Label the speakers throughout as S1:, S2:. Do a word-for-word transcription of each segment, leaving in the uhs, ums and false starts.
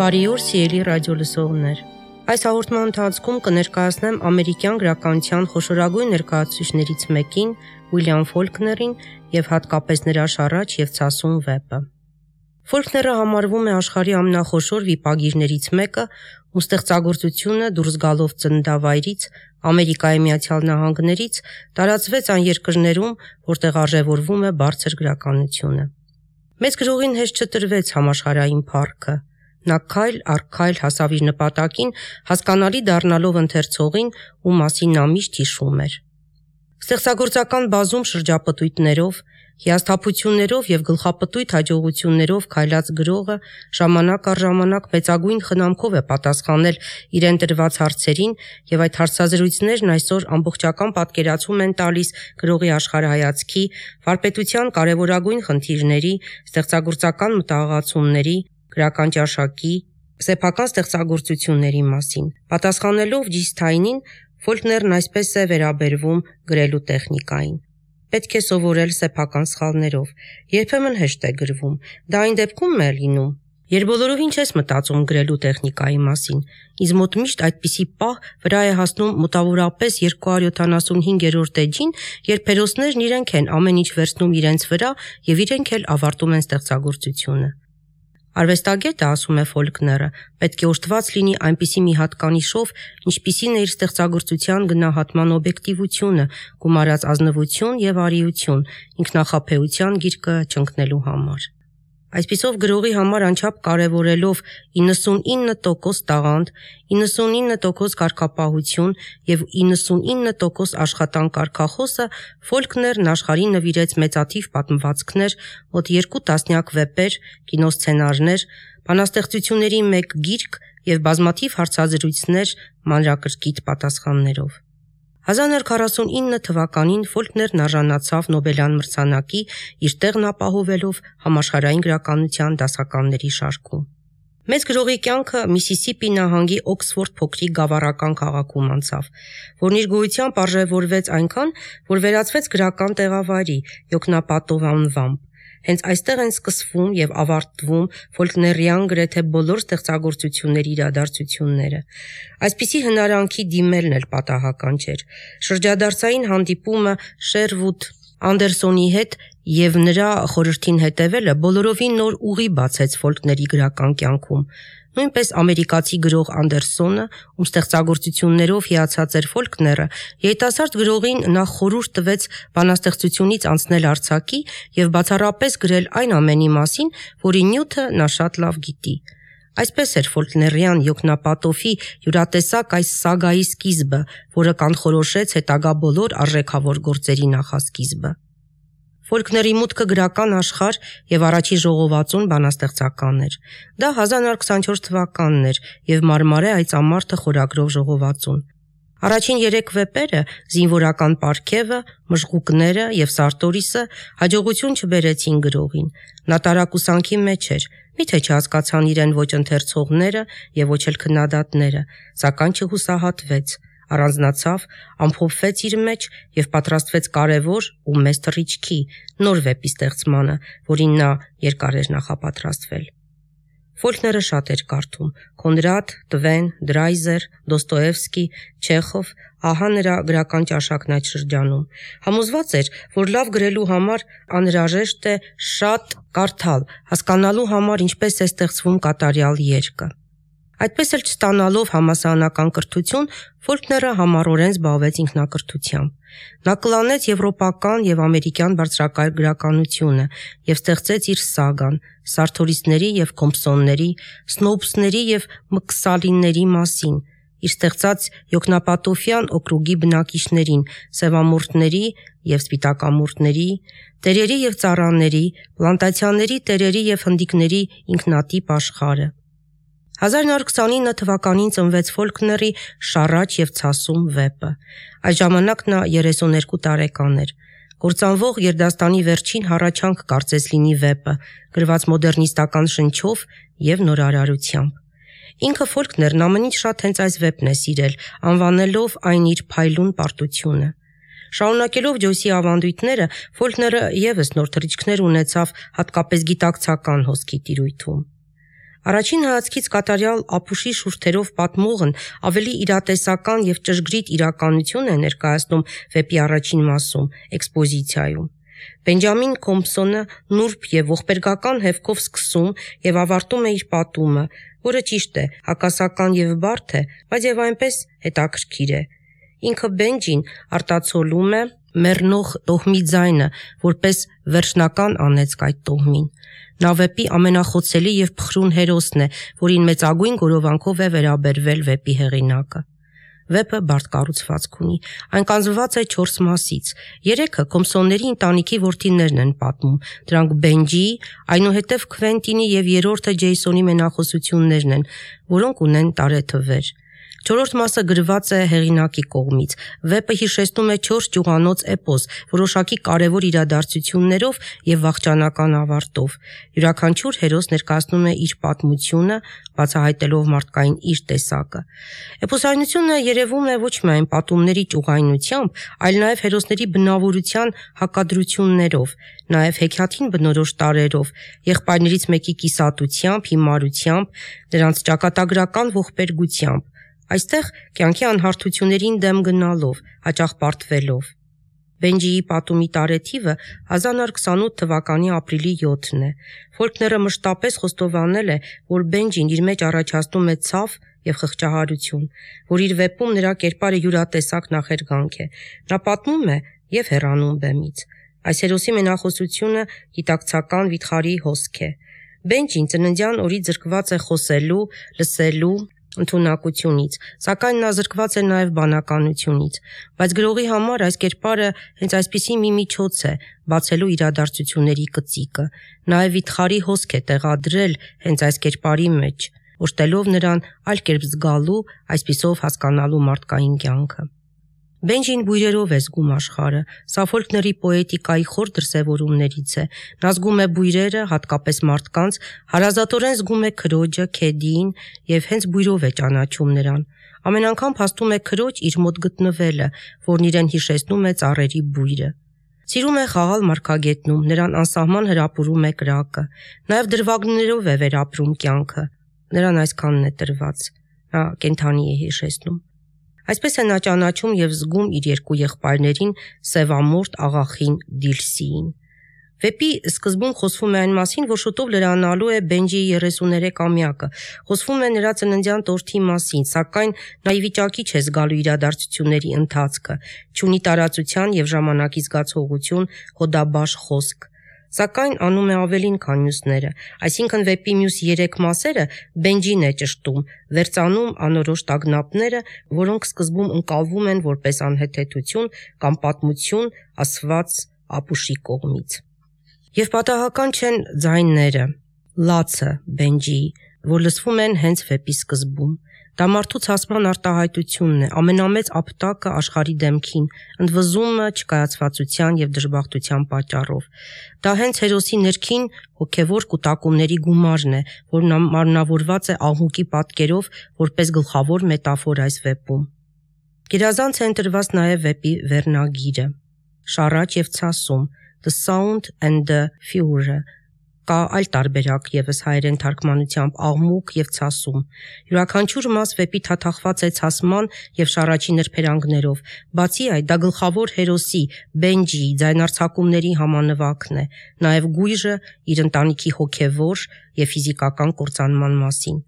S1: Բարի օր, սիրելի ռադիոլսողներ։ Այս հաղորդման ընթացքում կներկայացնեմ ամերիկյան գրականության խոշորագույն ներկայացուցիչներից մեկին, Ուիլյամ Ֆոլքներին եւ հատկապես նրա «Շառաչ եւ ցասում» վեպը։ Ֆոլքները համարվում է աշխարհի ամենախոշոր վիպագիրներից մեկը, ում ստեղծագործությունը դուրս գալով ծննդավայրից, Ամերիկայի Միացյալ Նահանգներից, տարածվեց այն երկրներում, որտեղ արժևորվում է բարձր գրականությունը։ Մեծ գրողին հեշտ չտրվեց համաշխարհային փառքը։ Նա քայլ առ քայլ հասավ իր նպատակին, հասկանալի դառնալով ընթերցողին, ում մասին նա միշտ հիշում էր։ Ստեղծագործական բազում շրջապտույտներով, հիասթափություններով եւ գլխապտույտ հաջողություններով քայլած գրողը ժամանակ առ ժամանակ մեծագույն խնամքով է պատասխանել իրեն տրված հարցերին, եւ այդ հարցազրույցներն այսօր ամբողջական պատկերացում են տալիս գրողի աշխարհայացքի, վարպետության կարևորագույն խնդիրների, ստեղծագործական մտահղացումների, գրական ճաշակի, սեփական ստեղծագործությունների մասին։ Պատասխանելով Ջիսթայնին, Ֆոլքներն այսպես է վերաբերվում գրելու տեխնիկային։ Պետք է սովորել սեփական սխալներով, երբեմն հեշտ է գրվում, դա այն դեպքում է լինում, երբ բոլորովին չես մտածում գրելու տեխնիկայի մասին։ Ինձ մոտ միշտ այդպիսի պահ վրա է հասնում մոտավորապես երկու հարյուր յոթանասունհինգերորդ էջին, երբ հերոսներն իրենք են ամեն ինչ վերցնում իրենց վրա եւ իրենք էլ ավարտում են ստեղծագործությունը։ Արվեստագետը, ասում է Ֆոլքները, պետք է օժտված լինի այնպիսի մի հատկանիշով, ինչպիսին է իր ստեղծագործության գնահատման օբյեկտիվությունը, գումարած ազնվություն եւ արիություն, ինքնախաբեության գիրկը չընկնելու համար։ Այսպիսով գրողի համար անչափ կարևորելով իննսունինը տոկոս տաղանդ, իննսունինը տոկոս կարգապահություն եւ իննսունինը տոկոս աշխատանք կարգախոսը, Ֆոլքներն աշխարհին նվիրեց մեծաթիվ պատմվածքներ, մոտ երկու տասնյակ վեպեր, կինոսցենարներ, բանաստեղծությունների մեկ գիրք եւ բազմաթիվ հարցազրույցներ մանրակրկիտ պատասխաններով։ հազար նոր քառասունինը թվականին Ֆոլքներն արժանացավ Նոբելյան մրցանակի, իր տեղն ապահովելով համաշխարհային գրականության դասականների շարքում։ Մեծ գրողի կյանքը Միսիսիպի նահանգի Օքսֆորդ փոքրիկ գավառական քաղաքում անցավ, որն իր գոյությամբ արժևորվեց այնքան, որ վերածվեց գրական տեղավայրի, յոգնապատով անվամբ։ Հենց այստեղ են սկսվում եւ ավարտվում Ֆոլքներյան գրեթե բոլոր ստեղծագործությունների իրադարձությունները։ Այսպիսի հնարանքի դիմելն էլ պատահական չէր։ Շրջադարձային հանդիպումը Շերվուդ Անդերսոնի հետ եւ նրա խորհրդին հետևելը բոլորովին նոր ուղի բացեց Ֆոլքների գրական կյանքում։ Նույնպես ամերիկացի գրող Անդերսոնը, ում ստեղծագործություններով հիացած էր Ֆոլքները, երիտասարդ գրողին նախ խորհուրդ տվեց բանաստեղծությունից անցնել արձակի եւ բացառապես գրել այն ամենի մասին, որի նյութը նա շատ լավ գիտի։ Այսպես էր Ֆոլքներյան յոգնապատոֆի յուրատեսակ այս սագայի սկիզբը, որը կանխորոշեց հետագա բոլոր արժեքավոր գործերի նախասկիզբը։ Ֆոլքների մուտքը գրական աշխարհ եւ առաջի ժողովածուն բանաստեղծական էր։ Դա հազար նոր քսանչորս թվականն էր եւ Մարմարե այծամարտը խորագրով ժողովածուն։ Առաջին երեք վեպերը՝ զինվորական պարգևը, մժղուկները եւ Սարտորիսը, հաջողություն չբերեցին գրողին։ Նա տարակուսանքի մեջ էր, միթե չհասկացան իրեն ոչ ընթերցողները եւ ոչ էլ քննադատները, սակայն չհուսահատվեց, առանձնացավ, ամփոփվեց իր մեջ եւ պատրաստվեց կարևոր ու մեծ թռիչքի, նոր վեպի ստեղծմանը, որին նա երկար էր նախապատրաստվել։ Ֆոլքները շատ էր կարդում՝ Կոնրադ, Տվեն, Դրայզեր, Դոստոևսկի, Չեխով, ահա նրա գրական ճաշակն այդ շրջանում։ Համոզված էր, որ լավ գրելու համար անհրաժեշտ է շատ կարդալ, հասկանալու համար ինչպես է ստեղծվում կատարյալ երգը։ Այդպես էլ չստանալով համասարանական կրթություն, Ֆոլքները համառորեն զբաղվեց ինքնակրթությամբ։ Նա կլանեց եվրոպական եւ ամերիկյան բարձրակարգ գրականությունը եւ ստեղծեց իր սագան Սարթորիսների եւ Կոմպսոնների, Սնոուպսների եւ Մկսալինների մասին, իր ստեղծած յոգնապատոֆյան օկրուգի բնակիչներին, սևամորթների եւ սպիտակամորթների, տերերի եւ ծառաների, պլանտացիաների տերերի եւ հնդիկների ինքնատիպ աշխարհը։ հազար նոր քսանինը թվականին ծնվեց Ֆոլքների «Շառաչ եւ ցասում» վեպը։ Այդ ժամանակ նա երեսուներկու տարեկան էր։ Կործանվող գերդաստանի վերջին հառաչանք կարծես լինի վեպը, գրված մոդեռնիստական շնչով եւ նորարարությամբ։ Ինքը Ֆոլքներն ամեն ինչ շատ հենց այս վեպն է սիրել, անվանելով այն իր փայլուն պարտությունը։ Շարունակելով Ջոյսի ավանդույթները, Ֆոլքները եւս նոր թռիչքներ ունեցավ հատկապես գիտակցական հոսքի տիրույթում։ Առաջին հայացքից կատարյալ ապուշի շուրթերով պատմողն ավելի իրատեսական եւ ճշգրիտ իրականություն է ներկայացնում վեպի առաջին մասում, էքսպոզիցիայում։ Բենջամին Քոմփսոնը նուրբ եւ ողբերգական հևքով սկսում եւ ավարտում է իր պատումը, որը ճիշտ է, հակասական եւ բարդ է, բայց եւ այնպես հետաքրքիր է։ Ինքը Բենջին արտացոլում է մեռնող տոհմի ձայնը, որպես վերջնական անեծք այդ տոհմին։ Նա վեպի ամենախոցելի եւ փխրուն հերոսն է, որին մեծագույն գորովանքով է վերաբերվել վեպի հեղինակը։ Վեպը բարդ կառուցվածք ունի։ Այն կազմված է չորս մասից։ Երեքը Քոմփսոնների ընտանիքի որդիներն են պատմում։ Դրանք Բենջիի, այնուհետև Քվենտինի եւ երրորդը Ջեյսոնի մենախոսություններն են, որոնք ունեն տարեթվեր։ Չորրորդ մասը գրված է հեղինակի կողմից։ Վեպը հիշեցնում է չորս ճյուղանոց էպոս, որոշակի կարևոր իրադարձություններով եւ վախճանական ավարտով։ Յուրաքանչյուր հերոս ներկայացնում է իր պատմությունը, բացահայտելով մարդկային իր տեսակը։ Էպոսայնությունը երևում է ոչ միայն պատումների ճյուղայնությամբ, այլ նաեւ հերոսների բնավորության հակադրություններով, նաեւ հեքիաթին բնորոշ տարրերով, եղբայրներից մեկի կիսատությամբ, հիմարությամբ, նրանց ճակատագրական ողբերգությամբ։ Այստեղ կյանքի անհարթություններին դեմ գնալով, հաճախ պարտվելով։ Բենջիի պատումի տարեթիվը հազար նոր քսանութ թվականի ապրիլի յոթն է։ Ֆոլկները մշտապես խոստովանել է, որ Բենջին իր մեջ առաջացնում է ցավ եւ խղճահարություն, որ իր վեպում նրա կերպարը յուրատեսակ նախերգանք է։ Նա պատմում է եւ հեռանում բեմից։ Այս հերոսի մենախոսությունը գիտակցական վիթխարի հոսք է։ Բենջին ծննդյան օրից զրկված է խոսելու, լսելու ընդունակությունից, սակայն նա զրկված է նաև բանականությունից, բայց գրողի համար այս կերպարը հենց այսպիսի մի միջոց է բացելու իրադարձությունների կծիկը, նաև վիթխարի հոսք է տեղադրել հենց այս կերպարի մեջ, օժտելով նրան այլ կերպ զգալու, այսպիսով հասկանալու մարդկային կյանքը։ Բենջին բույրերով է զգում աշխարհը, սա Ֆոլկների պոետիկայի խոր դրսևորումներից է։ Նա զգում է բույրերը, հատկապես մարդկանց, հարազատորեն զգում է քրոջը, Քեդիին եւ հենց բույրով է ճանաչում նրան։ Ամեն անգամ փաստում է քրոջ իր մոտ գտնվելը, որն իրեն հիշեցնում է ծառերի բույրը։ Սիրում է խաղալ մարգագետնում, նրան անսահման հրապուրում է կրակը։ Նաեւ դրվագներով է վերապրում կյանքը։ Նրան այսքանն է տրված։ Նա կենդանի է հիշեցնում։ Այսպես է նա ճանաչում եւ զգում իր երկու եղբայրներին Սևամորթ աղախին Դիլսիին։ Վեպի սկզբում խոսվում է այն մասին, որ շուտով լրանալու է Բենջիի երեսուներեքամյակը, խոսվում է նրա ծննդյան տորթի մասին, սակայն նա ի վիճակի չէ զգալու իրադարձությունների ընթացքը, չունի տարածության եւ ժամանակի զգացողություն, հոդաբաշ խոսք։ Սակայն անում է ավելին, քան մյուսները, այսինքն վեպի մյուս երեք մասերը Բենջին է ճշտում, վերծանում անորոշ տագնապները, որոնք սկզբում ընկալվում են որպես անհեթեթություն կամ պատմություն ասված ապուշի կողմից։ Եվ պատահական չեն ձայները, լացը Բենջիի, որ լսվում են հենց վեպի սկզբում։ Դա մարդու ցասման արտահայտությունն է, ամենամեծ ապտակը աշխարհի դեմքին, ընդվզումը չկայացվածության եւ դժբախտության պատճառով։ Դա հենց հերոսի ներքին հոգեվոր կուտակումների գումարն է, որն մարմնավորված է աղմուկի պատկերով որպես գլխավոր մետաֆոր այս վեպում։ Գերազանց է ընտրված նաեւ վեպի վերնագիրը՝ շառաչ եւ ցասում, The Sound and the Fury։ Կա այլ տարբերակ եւս հայերեն թարգմանությամբ աղմուկ եւ ցասում։ Յուրաքանչյուր մաս վեպի թաթախված է ցասման եւ շառաչի նրբերանգներով։ Բացի այդ, դա գլխավոր հերոսի Բենջիի ձայնարձակումների համանվագն է, նաեւ գույժը իր ընտանիքի հոգեվոր եւ ֆիզիկական կործանման մասին։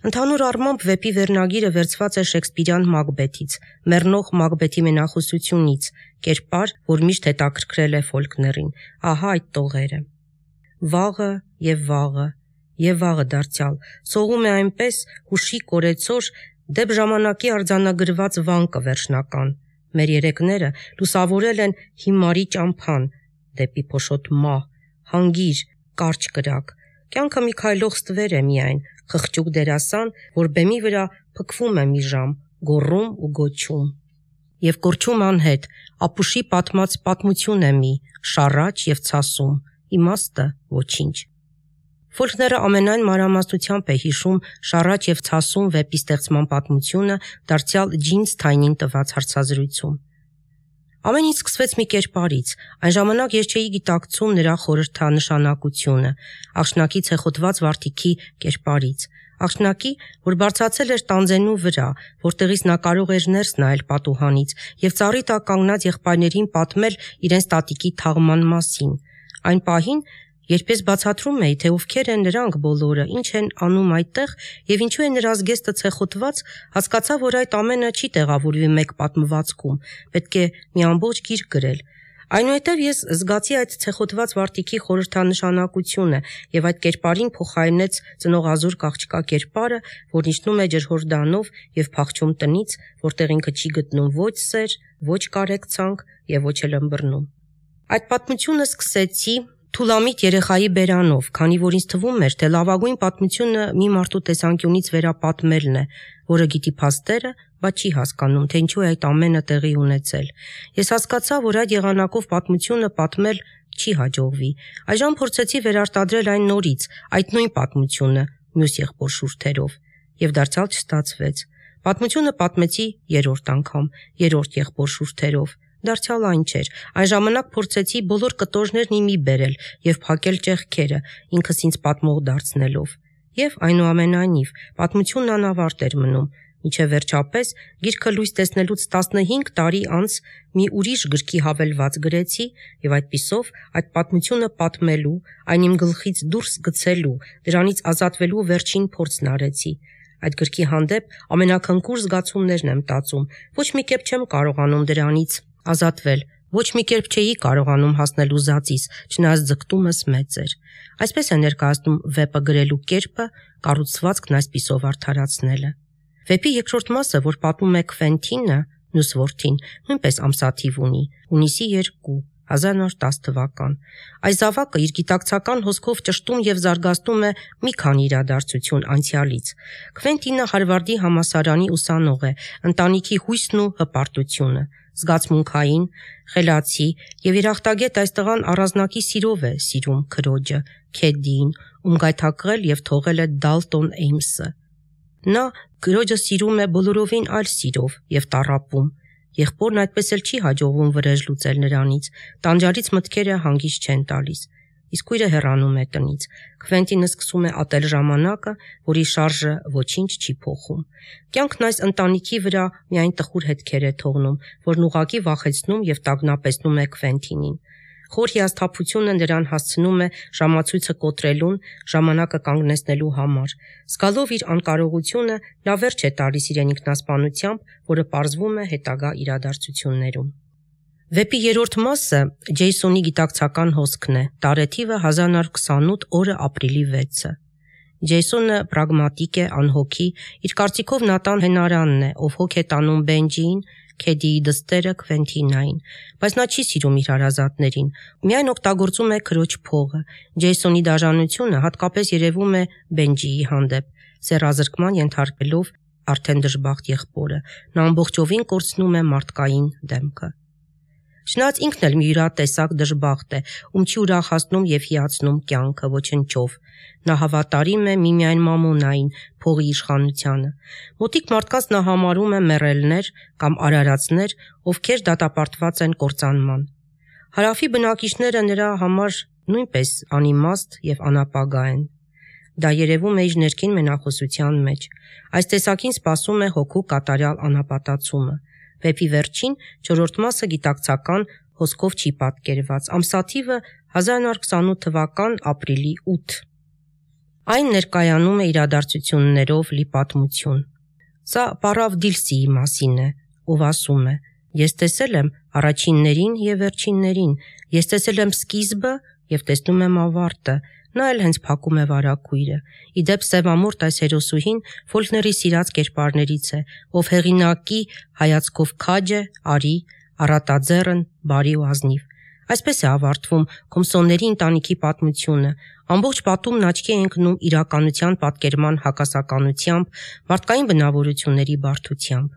S1: Ընդհանուր առմամբ վեպի վերնագիրը վերցված է Շեքսպիրյան Մակբեթից, մեռնող Մակբեթի մենախոսությունից, կերպար, որ միշտ հետաքրքրել է Ֆոլկներին։ Ահա այդ տողերը։ Վաղը եւ վաղը, եւ վաղը դարձյալ, սողում է այնպես հուշի կորեցոր, դեպ ժամանակի արձանագրված վանկը վերջնական։ Մեր երեքները լուսավորել են հիմարի ճամփան, դեպի փոշոտ մահ, հանգիր, կարճ կրակ։ Կյանքը մի քայլող ստվեր է միայն, խղճուկ դերասան, որ բեմի վրա փքվում է մի ժամ, գոռում ու գոչում։ Եվ կորչում անհետ, ապուշի պատմած պատմություն է մի, շառաչ եւ ցասում, իմաստը ոչինչ։ Ֆոլկները ամենայն մանրամասնությամբ է հիշում շառաչ եւ ցասում վեպի ստեղծման պատմությունը դարձյալ Ջին Սթայնին տված հարցազրույցում։ Ամեն ինչ սկսվեց մի կերպարից, այն ժամանակ ես չէի գիտակցում նրա խորհրդանշանակությունը, աղջնակի ցեխոտված վարդիքի կերպարից, աղջնակի, որ բարձրացել էր տանձենու վրա, որտեղից նա կարող էր ներս նայել պատուհանից և ծառի տակ կանգնած եղբայրներին պատմել իրենց տատիկի թաղման մասին, այն պահին, երբ ես բացատրում էի, թե ովքեր են նրանք բոլորը, ինչ են անում այդտեղ և ինչու է նրա զգեստը ցեխոտված, հասկացա, որ այդ ամենը չի տեղավորվի մեկ պատմվածքում, պետք է մի ամբողջ գիրք գրել։ Այնուհետև ես զգացի այդ ցեխոտված վարդիքի խորհրդանշանակությունը և այդ կերպարին փոխարինեց ծնողազուրկ աղջկա կերպարը, որն իջնում է ջրհորդանով և փախչում տնից, որտեղ ինքը չի գտնում ոչ սեր, ոչ կարեկցանք և ոչ էլ ըմբռնում։ Այդ պատմությունը սկսեցի թուլամիտ երեխայի բերանով, քանի որ ինձ թվում էր, թե լավագույն պատմությունը մի մարդու տեսանկյունից վերապատմելն է, որը գիտի փաստերը, բայց չի հասկանում, թե ինչու է այդ ամենը տեղի ունեցել։ Ես հասկացա, որ այդ եղանակով պատմությունը պատմել չի հաջողվի։ Այժմ փորձեցի վերարտադրել այն նորից, այդ նույն պատմությունը, մյուս եղբոր շուրթերով, և դարձյալ չստացվեց։ Պատմությունը պատմեցի երրորդ անգամ, երրորդ եղբոր շուրթերով։ Դարձյալ այն չէր։ Այն ժամանակ փորձեցի բոլոր կտորներն իմի բերել և փակել ճեղքերը, ինքս ինձ պատմող դարձնելով։ Եվ այնուամենայնիվ, պատմությունն անավարտ էր մնում, մինչև վերջապես գիրքը լույս տեսնելուց տասնհինգ տարի անց մի ուրիշ գրքի հավելված գրեցի և այդպիսով այդ պատմությունը պատմելու, այն իմ գլխից դուրս գցելու, դրանից ազատվելու վերջին փորձն արեցի։ Այդ գրքի հանդեպ ամենաքնքուր զգացումներն եմ տածում, ոչ մի կերպ չեմ կարողանում դրանից ազատվել, ոչ մի կերպ չէի կարողանում հասնել ուզածիս, չնայած ձգտումս մեծ էր։ Այսպես է ներկայացնում վեպը գրելու կերպը, կառուցվածքն այսպիսով արդարացնելը։ Վեպի երկրորդ մասը, որ պատմում է Քվենթինը, մյուս որդին, նույնպես ամսաթիվ ունի, հունիսի երկու, հազար նորը տասը թվական։ Այս զավակը իր գիտակցական հոսքով ճշտում և զարգացնում է մի քանի իրադարձություն անցյալից։ Քվենտինը Հարվարդի համալսարանի ուսանող է, ընտանիքի հույսն ու հպարտությունը, զգացմունքային, խելացի և իր ախտագետ այս տղան առանձնակի սիրով է սիրում քրոջը, Քեդդիին, ում գայթակղել և թողել է Դալտոն Էյմսը։ Նա քրոջը սիրում է բոլորովին այլ սիրով և տառապում։ Եղբորն այդպես էլ չի հաջողվում վրեժ լուծել նրանից, տանջարից մտքերը հանգիստ չեն տալիս, իսկ քույրը հեռանում է տնից։ Քվենտինը սկսում է ատել ժամանակը, որի շարժը ոչինչ չի փոխում։ Կյանքն այս ընտանիքի վրա միայն տխուր հետքեր է թողնում, որն ուղղակի վախեցնում և տագնապեցնում է Քվենտինին։ Խոր հիասթափությունը նրան հասցնում է ժամացույցը կոտրելուն, ժամանակը կանգնեցնելու համար։ Զգալով իր անկարողությունը, նա վերջ է տալիս իրեն ինքնասպանությամբ, որը պարզվում է հետագա իրադարձություններում։ Վեպի երրորդ մասը Ջեյսոնի գիտակցական հոսքն է, տարեթիվը հազար նորը քսանութ, օրը ապրիլի վեցը։ Ջեյսոնը պրագմատիկ է, անհոգի, իր կարծիքով Նատան հենարանն է, ով հոգ է տանում Բենջիին, Քեդիի դստերը Քվենտինային, բայց նա չի սիրում իր հարազատներին, միայն օգտագործում է քրոջ փողը։ Ջեյսոնի դաժանությունը հատկապես երևում է Բենջիի հանդեպ, սեռազրկման ենթարկվելով արդեն դժբախտ եղբորը, նա ամբողջովին կորցնում է մարդկային դեմքը։ Չնայած ինքն էլ մի յուրատեսակ դժբախտ է, ում չի ուրախացնում և հիացնում կյանքը ոչնչով։ Նա հավատարիմ է միմիայն մամոնային, փողի իշխանությանը։ Մոտիկ մարդկանց նա համարում է մեռելներ կամ արարածներ, ովքեր դատապարտված են կործանման։ Հարավի բնակիչները նրա համար նույնպես անիմաստ և անապագա են։ Դա երևում է իր ներքին մենախոսության մեջ։ Այս տեսակին սպասում է հոգու կատարյալ անապատացումը։ Վեպի վերջին չորրորդ մասը գիտակցական հոսքով չի պատկերված, ամսաթիվը հազար նորը քսանութ թվական ապրիլի ութ։ Այն ներկայանում է իրադարձություններով լի պատմություն։ Սա Պարավ Դիլսիի մասին է, ով ասում է. «Ես տեսել եմ առաջիններին և վերջիններին, ես տեսել եմ սկիզբը և տեսնում եմ ավարտը, նա էլ հենց փակում է վարագույրը»։ Ի դեպ, սևամորթ այս հերոսուհին Ֆոլքների սիրած կերպարներից է, ով հեղինակի հայացքով քաջ է, արի, առատաձեռն, բարի ու ազնիվ։ Այսպես է ավարտվում Քոմսոնների ընտանիքի պատմությունը։ Ամբողջ պատումն աչքի է ընկնում իրականության պատկերման հակասականությամբ, մարդկային բնավորությունների բարդությամբ։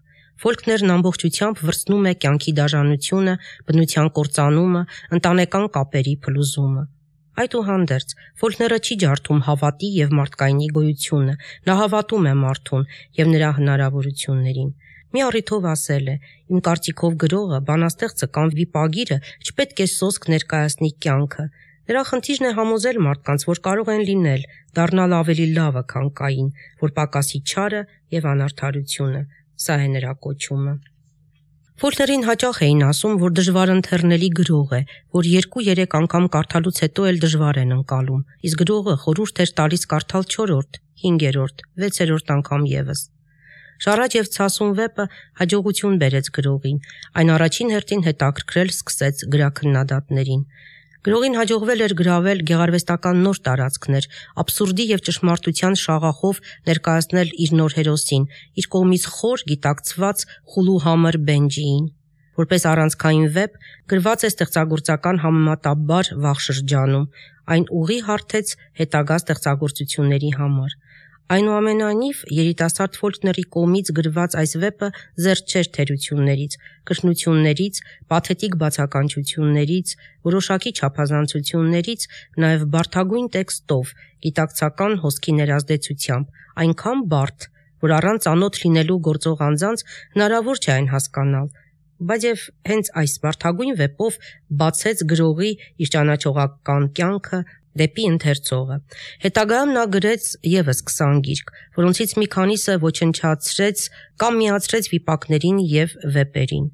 S1: Ֆոլքներն ամբողջությամբ վրձնում է կյանքի դաժանությունը, բնության կործանումը, ընտանեկան կապերի փլուզումը։ Այդուհանդերձ, Ֆոլքները չի ջարդում հավատի և մարդկայնի գոյությունը, նա հավատում է մարդուն և նրա հնարավորություններին։ Մի առիթով ասել է. «Իմ կարծիքով գրողը, բանաստեղծը կամ վիպագիրը չպետք է սոսկ ներկայացնի կյանքը։ Նրա խնդիրն է համոզել մարդկանց, որ կարող են լինել, դառնալ ավելի լավը, քան կային, որ պակասի չարը եւ անարդարությունը։ Սա է նրա կոչումը»։ Ֆոլքներին հաճախ էին ասում, որ դժվարընթեռնելի գրող է, որ երկու-երեք անգամ կարդալուց հետո էլ դժվար են ընկալում, իսկ գրողը խորհուրդ էր տալիս կարդալ չորրորդ, հինգերորդ, վեցերորդ անգամ եւս։ Շարաջ եւ ցասուն վեպը հաջողություն բերեց գրողին, այն առաջին հերթին հետաքրքրել սկսեց գրաքննադատներին։ Գրողին հաջողվել էր գրավել գեղարվեստական նոր տարածքներ, աբսուրդի եւ ճշմարտության շաղախով ներկայացնել իր նոր հերոսին, իր կողմից խոր գիտակցված խուլուհամր Բենջիին։ Որպես առանցքային վեպ գրված է ստեղծագործական համեմատաբար վաղ շրջանում, այն ուղի հարթեց հետագա ստեղծագործությունների համար։ Այնուամենայնիվ, երիտասարդ Ֆոլքների կողմից գրված այս վեպը զերծ չէր թերություններից, կրկնություններից, պաթետիկ բացականչություններից, որոշակի չափազանցություններից, նաև բարդագույն տեքստով, գիտակցական հոսքի ներազդեցությամբ, այնքան բարդ, որ առանց ծանոթ լինելու գործող անձանց հնարավոր չէ այն հասկանալ, բայց եւ հենց այս բարդագույն վեպով բացեց գրողի իր ճանաչողական կյանքը դեպի ընթերցողը։ Հետագայում նա գրեց եւս քսան գիրք, որոնցից մի քանիսը ոչնչացրեց կամ միացրեց վիպակներին եւ վեպերին։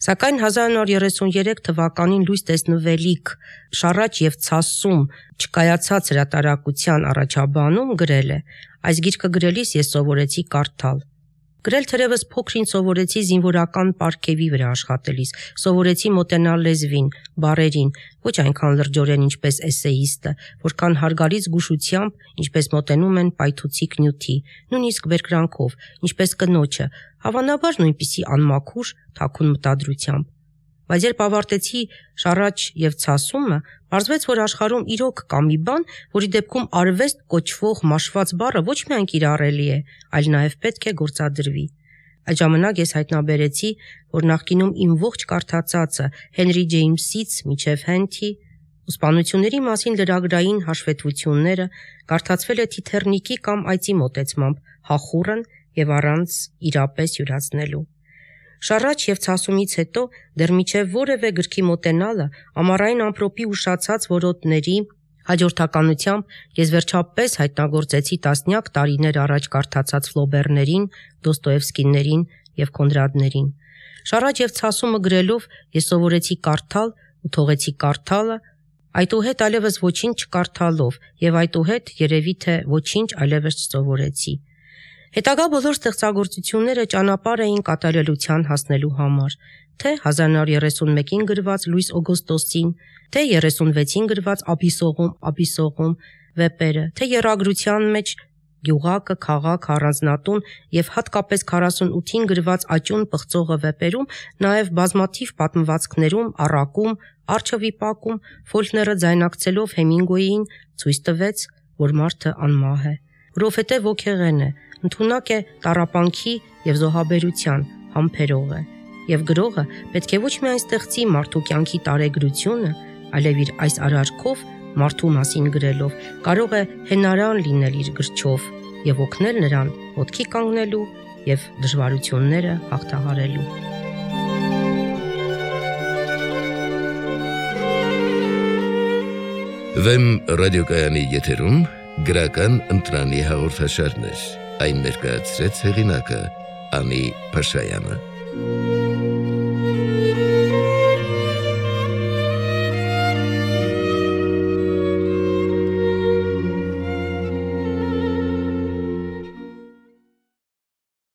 S1: Սակայն հազար նոր երեսուներեք թվականին լույս տեսնվելիք Շառաջ եւ ցասում չկայացած հրատարակության առաջաբանում գրել է. «Այս գիրքը գրելիս ես սովորեցի կարդալ։ Գրել թերևս փոքրինչ սովորեցի զինվորական պարգևի վրա աշխատելիս, սովորեցի մոտենալ լեզվին, բառերին, ոչ այնքան լրջորեն ինչպես էսեիստը, որքան հարգալից զգուշությամբ, ինչպես մոտենում են պայթուցիկ նյութի, նույնիսկ բերկրանքով, ինչպես կնոջը, հավանաբար նույնպիսի անմաքուր, թաքուն մտադրությամբ։ Բայց երբ ավարտեցի Շառաջ եւ ցասումը, պարզվեց, որ աշխարհում իրոք կա մի բան, որի դեպքում արվեստ կոչվող մաշված բառը ոչ միայն կիրառելի է, այլ նաեւ պետք է գործադրվի։ Այդ ժամանակ ես հայտնաբերեցի, որ նախկինում իմ ողջ կարդացածը Հենրի Ջեյմսից մինչև Հենթի ուսպանությունների մասին լրագրային հաշվետվությունները կարդացվել է թիթեռնիկի կամ այծի մոտեցմամբ, հախուռն եւ առանց իրապես յուրացնելու։ Շառաջ եւ ցասումից հետո դեռ միջև որևէ գրքի մոտենալը ամառային ամպրոպի ուշացած որոտների հաջորդականությամբ ես վերջապես հայտնագործեցի տասնյակ տարիներ առաջ կարդացած Ֆլոբերներին, Դոստոևսկիներին եւ Կոնրադներին։ Շառաջ եւ ցասումը գրելով ես սովորեցի կարդալ ու թողեցի կարդալը, այդուհետ այլևս ոչինչ չկարդալով եւ այդուհետ երևի թե ոչինչ այլևս չսովորեցի։ Հետագա բոլոր ստեղծագործությունները ճանապարհ էին կատարելության հասնելու համար, թե հազար նոր երեսունմեկին գրված Լուիս Օգոստոսին, թե երեսունվեցին գրված Աբիսողում, Աբիսողում վեպերը, թե եռագրության մեջ Գյուղակը, քաղաք, առանձնատուն եւ հատկապես քառասունութին գրված Աճուն պղծողը վեպերում, նաեւ բազմաթիվ պատմվածքներում, առակում, արչավիպակում Ֆոլքները ձայնակցելով Հեմինգուեյին ցույց տվեց, որ մարդը անմահ է, որովհետեւ ոգեղեն է, ընդունակ է տառապանքի եւ զոհաբերության, համբերող է, եւ գրողը պետք է ոչ միայն ստեղծի մարդու կյանքի տարեգրությունը, այլև իր այս արարքով մարդու մասին գրելով կարող է հենարան լինել իր գրչով եւ օգնել նրան ոտքի կանգնելու եւ դժվարությունները հաղթահարելու։
S2: Վեմ ռադիոկայանի եթերում գրական ընտրանի հաղորդաշարներ, այն ներկայացրեց հեղինակը Անի Փաշայանը։